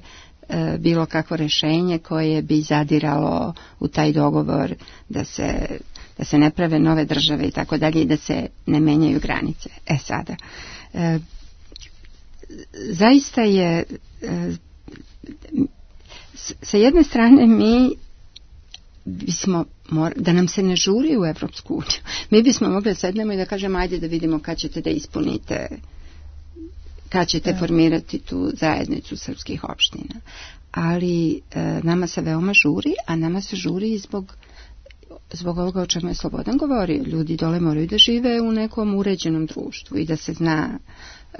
bilo kakvo rešenje koje bi zadiralo u taj dogovor da se da se ne prave nove države i tako dalje i da se ne menjaju granice. E sada, e, zaista je e, s, sa jedne strane mi bismo, mor, da nam se ne žuri u Evropsku uniju, mi bismo mogli da sednemo i da kažemo ajde da vidimo kad ćete da ispunite, kad ćete formirati tu zajednicu srpskih opština. Ali e, nama se veoma žuri, a nama se žuri i zbog zbog ovoga o čemu je Slobodan govorio. Ljudi dole moraju da žive u nekom uređenom društvu i da se zna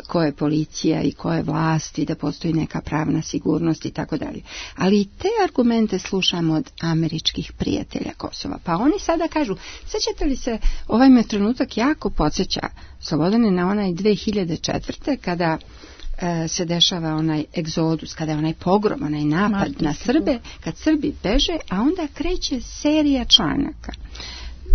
ko je policija i ko je vlast i da postoji neka pravna sigurnost i tako dalje. Ali i te argumente slušamo od američkih prijatelja Kosova. Pa oni sada kažu, sećate li se, ovaj me trenutak jako podsjeća, Slobodane, na onaj dve hiljade četvrte kada se dešava onaj egzodus, kada je onaj pogrom, onaj napad na Srbe, kad Srbi beže, a onda kreće serija članaka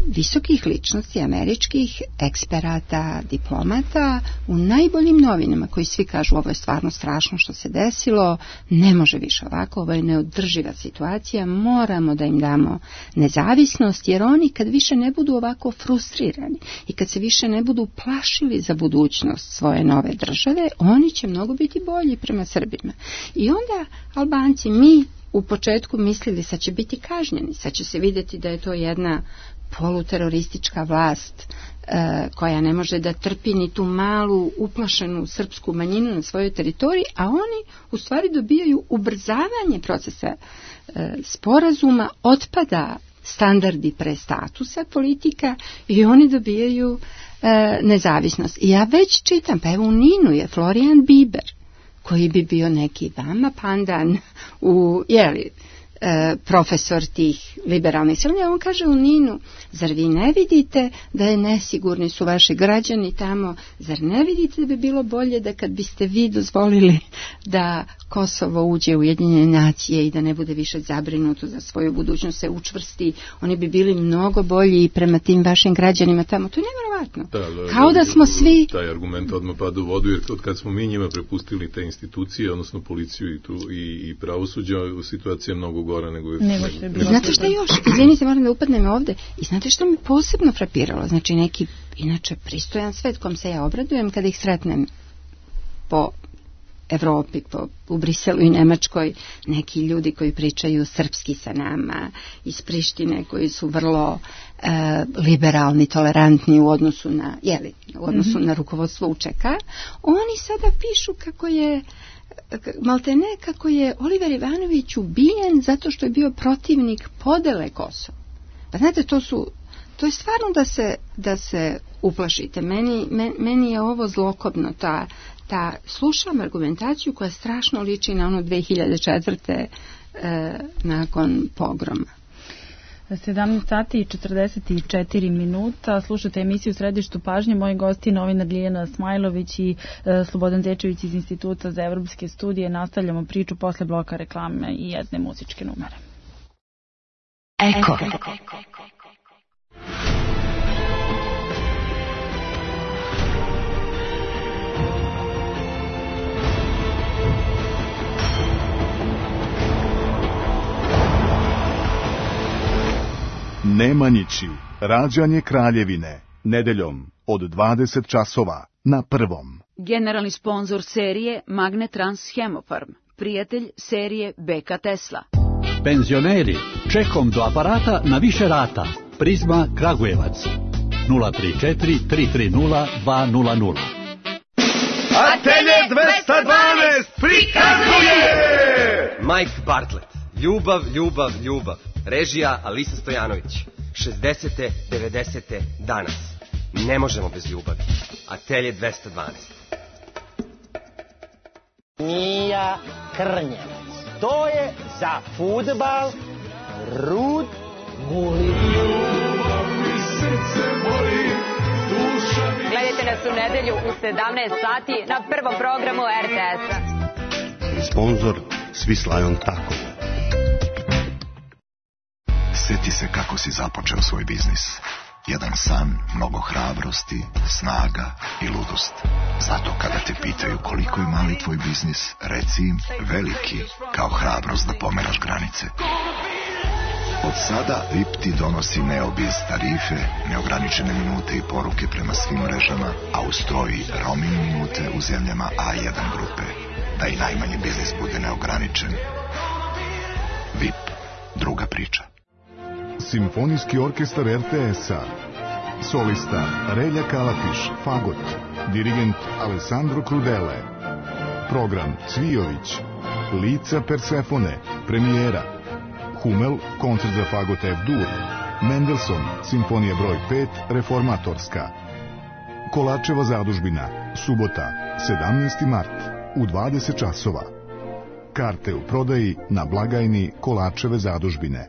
visokih ličnosti, američkih eksperata, diplomata, u najboljim novinama, koji svi kažu ovo je stvarno strašno što se desilo, ne može više ovako, ovo je neodrživa situacija, moramo da im damo nezavisnost, jer oni kad više ne budu ovako frustrirani i kad se više ne budu plašili za budućnost svoje nove države, oni će mnogo biti bolji prema Srbima. I onda Albanci, mi u početku mislili sad će biti kažnjeni, sad će se vidjeti da je to jedna poluteroristička vlast e, koja ne može da trpi ni tu malu uplašenu srpsku manjinu na svojoj teritoriji, a oni u stvari dobijaju ubrzavanje procesa e, sporazuma, otpada standardi pre statusa politika i oni dobijaju e, nezavisnost. I ja već čitam, pa evo u Ninu je Florian Biber, koji bi bio neki vama pandan u, jeli, E, profesor tih liberalnih silanja, on kaže u Ninu, zar vi ne vidite da je nesigurni su vaši građani tamo, zar ne vidite da bi bilo bolje da kad biste vi dozvolili da Kosovo uđe u Ujedinjene nacije i da ne bude više zabrinuto za svoju budućnost, se učvrsti, oni bi bili mnogo bolji i prema tim vašim građanima tamo. To je nevjerovatno. Da, kao da smo svi... Taj argument odmah pada u vodu, jer od kad smo mi njima prepustili te institucije, odnosno policiju i, tu, i, i pravosuđa, situacija je mnogo gora nego je... Nego što je bilo. Znate šta još? Izvinite, moram da upadnem ovde. I znate što mi posebno frapiralo? Znači neki, inače, pristojan svet kom se ja obradujem kada ih sretnem po Evropi, po, u Briselu i Nemačkoj, neki ljudi koji pričaju srpski sa nama iz Prištine, koji su vrlo e, liberalni, tolerantni u odnosu na, jeli, u odnosu mm-hmm. na rukovodstvo U Č K, oni sada pišu kako je maltene kako je Oliver Ivanović ubijen zato što je bio protivnik podele Kosova. Pa znate, to su to je stvarno da se, da se uplašite. Meni, men, meni je ovo zlokobno, ta, ta, slušam argumentaciju koja strašno liči na ono dve hiljade četvrte E, nakon pogroma. sedamnaest sati i četrdeset četiri minuta. Slušate emisiju Središtu pažnje. Moji gosti novinar Ljiljana Smajlović i e, Slobodan Zečević iz Instituta za evropske studije. Nastavljamo priču posle bloka reklame i jedne muzičke numere. Eko. Nemanjići, rađanje Kraljevine, nedeljom od dvadeset časova na Prvom. Generalni sponzor serije Magnetrans Hemofarm, prijatelj serije Beka Tesla. Penzioneri, čekom do aparata na više rata. Prizma Kragujevac, nula tri četiri tri tri nula dva nula nula. Atelje dvesta dvanaest prikazuje Mike Bartlett, ljubav, ljubav, ljubav. Režija Alisa Stojanović. šezdesete, devedesete danas. Ne možemo bez ljubavi. Atelje dvesta dvanaest. Mija Krnjevac. To je za fudbal Rud Guli. Gledajte nas u nedelju u sedamnaest sati na prvom programu er te es-a. Sponzor Swiss Lion Taco. Sjeti se kako si započeo svoj biznis. Jedan san, mnogo hrabrosti, snaga i ludost. Zato kada te pitaju koliko je mali tvoj biznis, reci im veliki, kao hrabrost da pomeraš granice. Od sada V I P ti donosi Neobiz tarife, neograničene minute i poruke prema svim mrežama, a uz to i roaming minute u zemljama A jedan grupe. Da i najmanji biznis bude neograničen. V I P, druga priča. Simfonijski orkestar er te es-a. Solista Relja Kalatiš, fagot. Dirigent Alessandro Crudele. Program Cvijović. Lica Persefone, premijera. Hummel, koncert za fagot F-dur. Mendelssohn, simfonija broj pet, reformatorska. Kolačeva zadužbina, subota, sedamnaesti mart, u dvadeset časova. Karte u prodaji na blagajni Kolačeve zadužbine.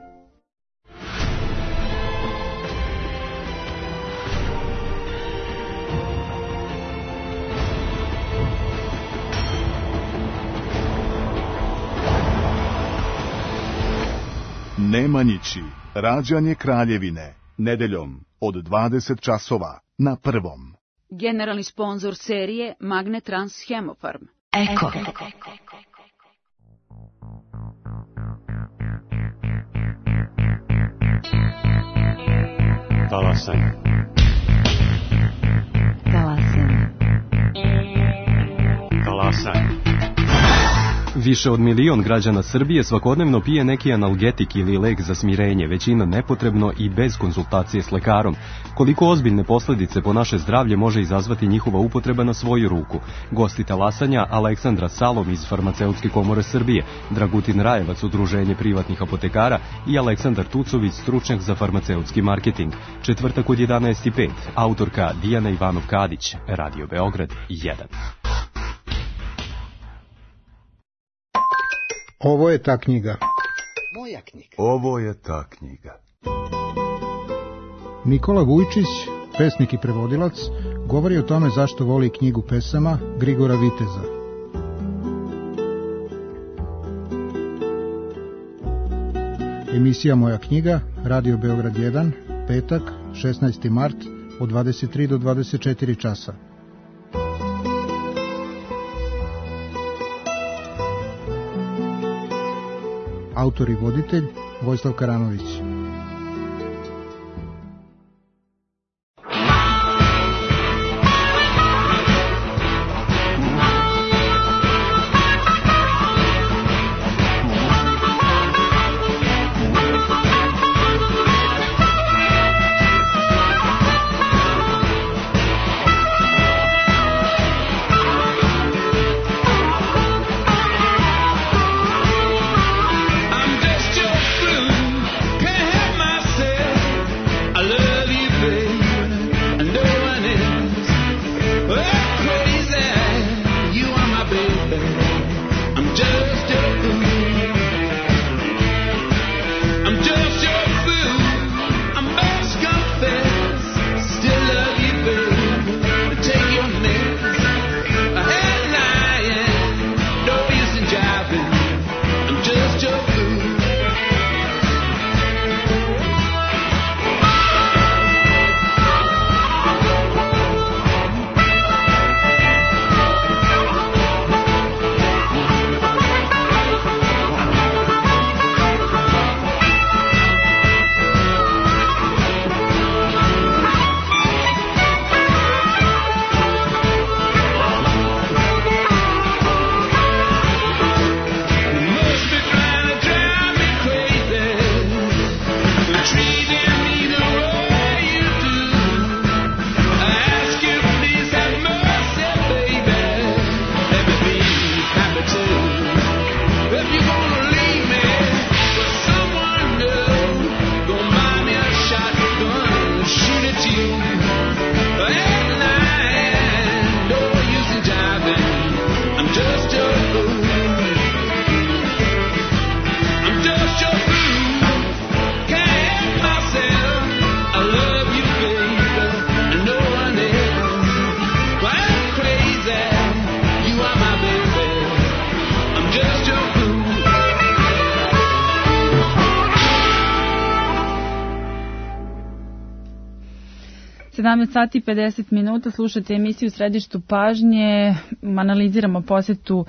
Nemanjići, rađanje Kraljevine, nedeljom od dvadeset časova na Prvom. Generalni sponzor serije Magnetrans Hemofarm. Eko. Talasaj. Talasaj. Talasaj. Više od milion građana Srbije svakodnevno pije neki analgetik ili lek za smirenje, većina nepotrebno i bez konsultacije s lekarom. Koliko ozbiljne posljedice po naše zdravlje može izazvati njihova upotreba na svoju ruku? Gosti talasanja Aleksandra Salom iz Farmaceutske komore Srbije, Dragutin Rajevac, Udruženje privatnih apotekara i Aleksandar Tucović, stručnjak za farmaceutski marketing. Četvrtak od jedanaest i pet, autorka Dijana Ivanov-Kadić, Radio Beograd jedan. Ovo je ta knjiga. Moja knjiga. Ovo je ta knjiga. Nikola Vujčić, pesnik i prevodilac, govori o tome zašto voli knjigu pesama Grigora Viteza. Emisija Moja knjiga, Radio Beograd jedan, petak, šesnaesti mart, od dvadeset tri do dvadeset četiri časa. Autor i voditelj Vojislav Karanović. Can't sedamnaest sati i pedeset minuta, slušate emisiju U središtu pažnje, analiziramo posjetu uh,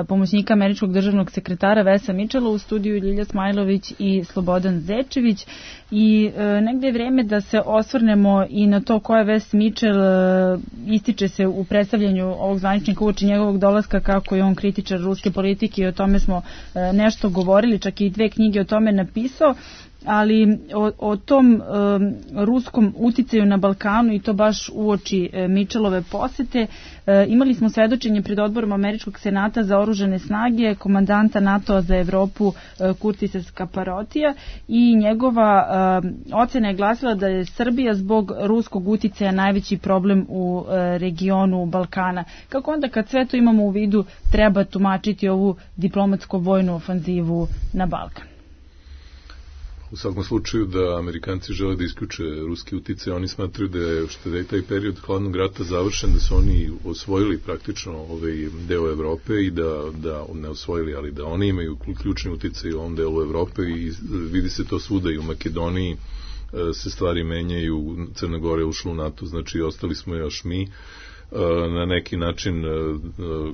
pomoćnika američkog državnog sekretara Vesa Mičela u studiju Ljilja Smajlović i Slobodan Zečević i uh, negde je vreme da se osvrnemo i na to ko je Ves Mičel. Uh, ističe se u predstavljanju ovog zvaničnika uoči njegovog dolaska kako je on kritičar ruske politike i o tome smo uh, nešto govorili, čak i dve knjige o tome napisao. Ali o, o tom um, ruskom uticaju na Balkanu i to baš uoči e, Mičelove posete e, imali smo svedočenje pred odborom Američkog senata za oružane snage komandanta NATO-a za Evropu e, Kurtisa Skaparotija i njegova e, ocena je glasila da je Srbija zbog ruskog uticaja najveći problem u e, regionu Balkana. Kako onda kad sve to imamo u vidu treba tumačiti ovu diplomatsko-vojnu ofanzivu na Balkan? U svakom slučaju da Amerikanci žele da isključe ruski uticaj, oni smatraju da je, što da je taj period hladnog rata završen, da su oni osvojili praktično ovaj deo Evrope i da, da ne osvojili, ali da oni imaju ključni uticaj u ovom delu Evrope i vidi se to svuda i u Makedoniji se stvari menjaju, Crna Gora je ušla u NATO, znači ostali smo još mi na neki način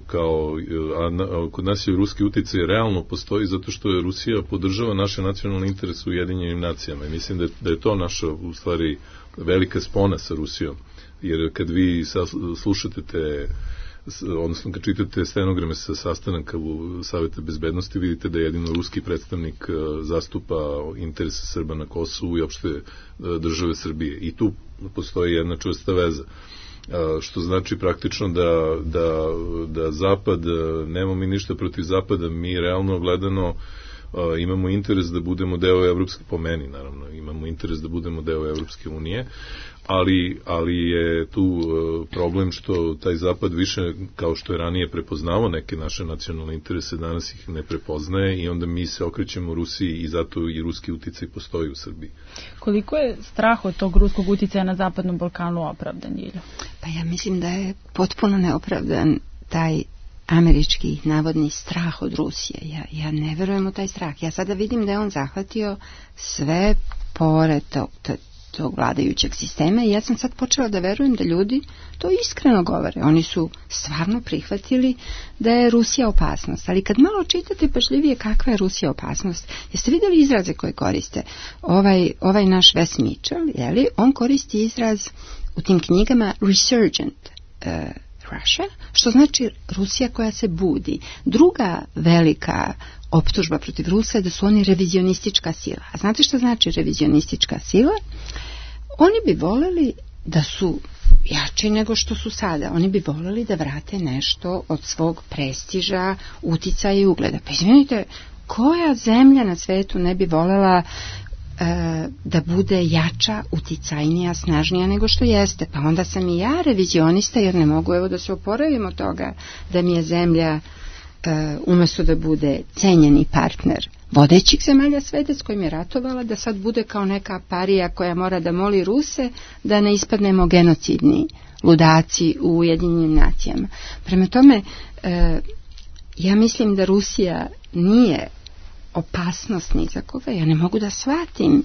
kao a kod nas je ruski uticaj realno postoji zato što je Rusija podržava naše nacionalne interese u Ujedinjenim nacijama i mislim da je, da je to naša u stvari velika spona sa Rusijom, jer kad vi slušate te odnosno kad čitate stenograme sa sastanaka u Saveta bezbednosti vidite da jedino ruski predstavnik zastupa interese Srba na Kosovu i opšte države Srbije i tu postoji jedna čvrsta veza. Što znači praktično da, da, da Zapad, nemamo mi ništa protiv Zapada, mi realno gledano imamo interes da budemo deo Evropske, po meni naravno, imamo interes da budemo deo Evropske unije, ali, ali je tu problem što taj Zapad više, kao što je ranije prepoznao neke naše nacionalne interese, danas ih ne prepoznaje i onda mi se okrećemo Rusiji i zato i ruski uticaj postoji u Srbiji. Koliko je strah od tog ruskog uticaja na Zapadnom Balkanu opravdan, Ilja? Pa ja mislim da je potpuno neopravdan taj američki navodni strah od Rusije. Ja, ja ne verujem u taj strah. Ja sada vidim da je on zahvatio sve pore tog, tog vladajućeg sistema i ja sam sad počela da verujem da ljudi to iskreno govore. Oni su stvarno prihvatili da je Rusija opasnost. Ali kad malo čitate pažljivije kakva je Rusija opasnost, jeste vidjeli izraze koje koriste? Ovaj, ovaj naš Ves Mičel, jeli, on koristi izraz u tim knjigama resurgent uh, Russia, što znači Rusija koja se budi. Druga velika optužba protiv Rusa je da su oni revizionistička sila. A znate što znači revizionistička sila? Oni bi voleli da su jači nego što su sada. Oni bi voleli da vrate nešto od svog prestiža, uticaja i ugleda. Pa izvinite, koja zemlja na svetu ne bi volela da bude jača, uticajnija, snažnija nego što jeste. Pa onda sam i ja revizionista jer ne mogu evo da se oporavim od toga da mi je zemlja umjesto da bude cenjeni partner vodećih zemalja sveta s kojim je ratovala, da sad bude kao neka parija koja mora da moli Ruse da ne ispadnemo genocidni ludaci u Ujedinjenim nacijama. Prema tome, ja mislim da Rusija nije opasnost ni za koga, ja ne mogu da shvatim.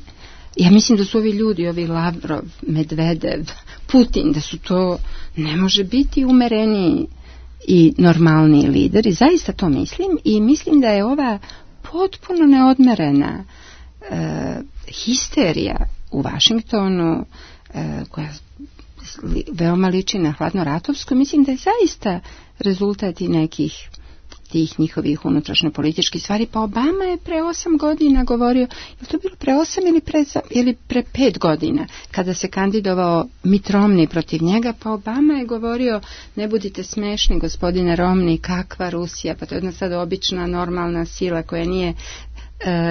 Ja mislim da su ovi ljudi, ovi Lavrov, Medvedev, Putin, da su to, ne može biti umereniji i normalniji lideri, zaista to mislim i mislim da je ova potpuno neodmerena e, histerija u Vašingtonu e, koja li, veoma liči na hladnoratovsku, mislim da je zaista rezultat i nekih tih njihovih unutrašnjo političkih stvari. Pa Obama je pre osam godina govorio, je to bilo pre osam ili pre, ili pre pet godina, kada se kandidovao Mitt Romney protiv njega, pa Obama je govorio, ne budite smešni gospodine Romney, kakva Rusija, pa to je jedna sad obična normalna sila koja nije uh,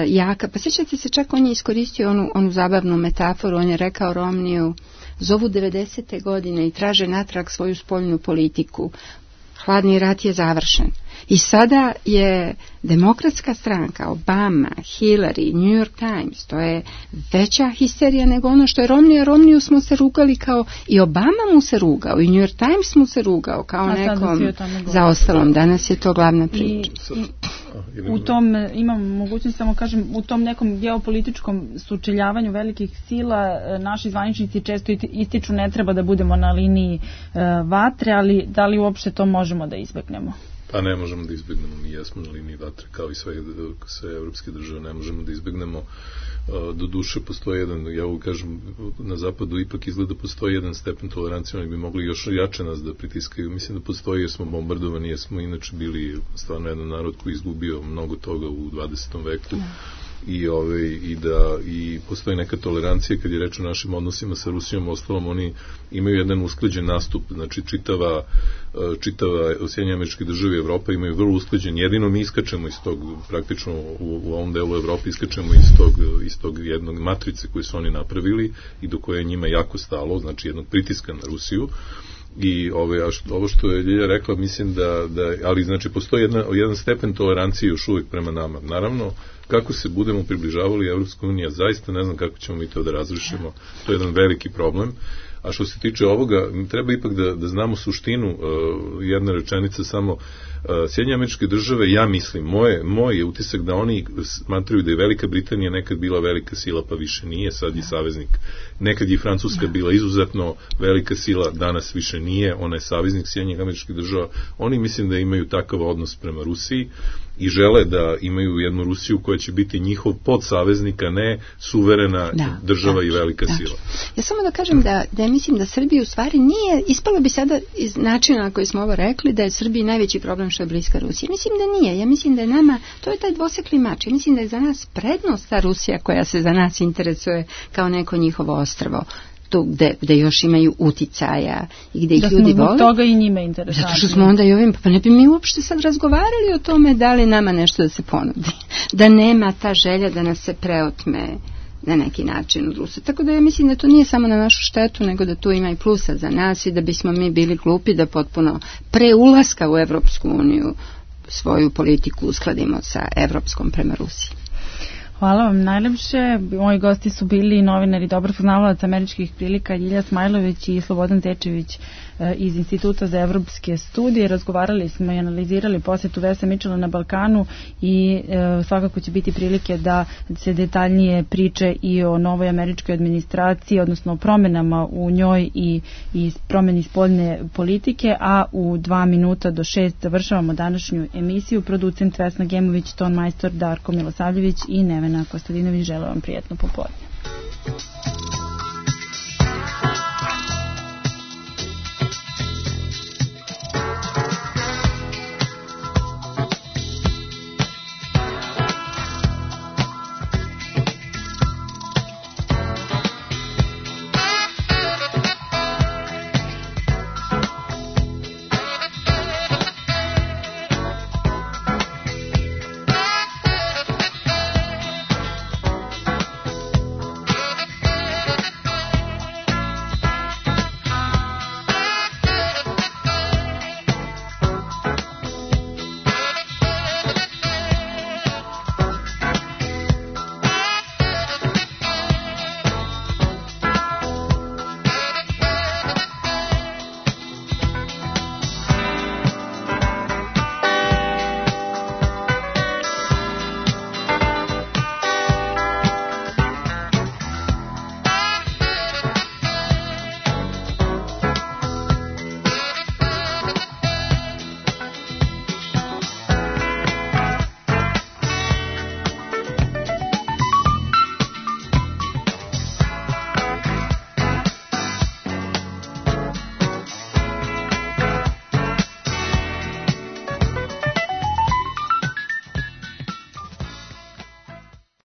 jaka. Pa sjećate se, čak on je iskoristio onu, onu zabavnu metaforu, on je rekao Romneyu, zovu devedesete godine i traže natrag svoju spoljnu politiku. Hladni rat je završen. I sada je demokratska stranka, Obama, Hillary, New York Times, to je veća histerija nego ono što je Romney. Romneyu smo se rugali kao, i Obama mu se rugao, i New York Times mu se rugao kao nekom zaostalom. Danas je to glavna priča. I, i, u tom, imam mogućnost samo kažem, u tom nekom geopolitičkom sučeljavanju velikih sila, naši zvaničnici često ističu ne treba da budemo na liniji uh, vatre, ali da li uopšte to možemo da izbegnemo? Pa ne možemo da izbegnemo, mi jesmo na liniji vatre kao i sve, sve evropske države, ne možemo da izbegnemo. Do duše postoji jedan, ja ovo kažem, na zapadu ipak izgleda postoji jedan stepen tolerancije, oni bi mogli još jače nas da pritiskaju. Mislim da postoji jer smo bombardovani, jer smo inače bili stvarno jedan narod koji izgubio mnogo toga u dvadesetom veku. I, ove, i da i postoji neka tolerancija kad je reč o našim odnosima sa Rusijom. Ostalom oni imaju jedan usklađen nastup, znači čitava čitava Sjedinjene Američke Države i Evropa imaju vrlo usklađen, jedino mi iskačemo iz tog, praktično u, u ovom delu Evrope iskačemo iz tog, iz tog jednog matrice koju su oni napravili i do koje je njima jako stalo, znači jednog pritiska na Rusiju. I ove, a što, ovo što je Ljilja rekla, mislim da, da ali znači postoji jedna, jedan stepen tolerancije još uvijek prema nama. Naravno, kako se budemo približavali Evropskoj uniji, zaista ne znam kako ćemo mi to da razrešimo, to je jedan veliki problem. A što se tiče ovoga, treba ipak da, da znamo suštinu, uh, jedna rečenica samo, uh, Sjedinjene Američke Države, ja mislim, moje, moj je utisak da oni smatraju da je Velika Britanija nekad bila velika sila, pa više nije, sad je saveznik. Nekad je Francuska bila izuzetno velika sila, danas više nije, ona je saveznik Sjedinjenih Američkih Država. Oni mislim da imaju takav odnos prema Rusiji i žele da imaju jednu Rusiju koja će biti njihov podsaveznik, a ne suverena da, država da, i velika da. sila. Ja samo da kažem da, da ja mislim da Srbija u stvari nije, ispalo bi sada iz načina na koji smo ovo rekli, da je Srbiji najveći problem što je bliska Rusija. Mislim da nije. Ja mislim da je nama, to je taj dvosekli mač. Ja mislim da je za nas prednost ta Rusija koja se za nas interesuje kao neko njihovo ostrvo. Tu gde, gde još imaju uticaja i gde ih da ljudi vole. Da smo toga i njima interesantni. Zato što smo onda i ovim, pa ne bi mi uopšte sad razgovarali o tome da li nama nešto da se ponudi. Da nema ta želja da nas se preotme na neki način od Rusa. Tako da ja mislim da to nije samo na našu štetu, nego da tu ima i plusa za nas i da bismo mi bili glupi da potpuno pre ulaska u Evropsku uniju svoju politiku uskladimo sa evropskom prema Rusiji. Hvala vam najlepše. Moji gosti su bili novinari dobro poznavalac američkih prilika Ljilja Smajlović i Slobodan Tečević iz Instituta za evropske studije. Razgovarali smo i analizirali posjetu Vesa Mitchella na Balkanu i e, svakako će biti prilike da se detaljnije priče i o novoj američkoj administraciji, odnosno o promjenama u njoj i, i promjeni spoljne politike, a u dva minuta do šest završavamo današnju emisiju. Producent Vesna Gemović, ton majstor Darko Milosavljević i Nevena Kostadinović. Želim vam prijatno popodne.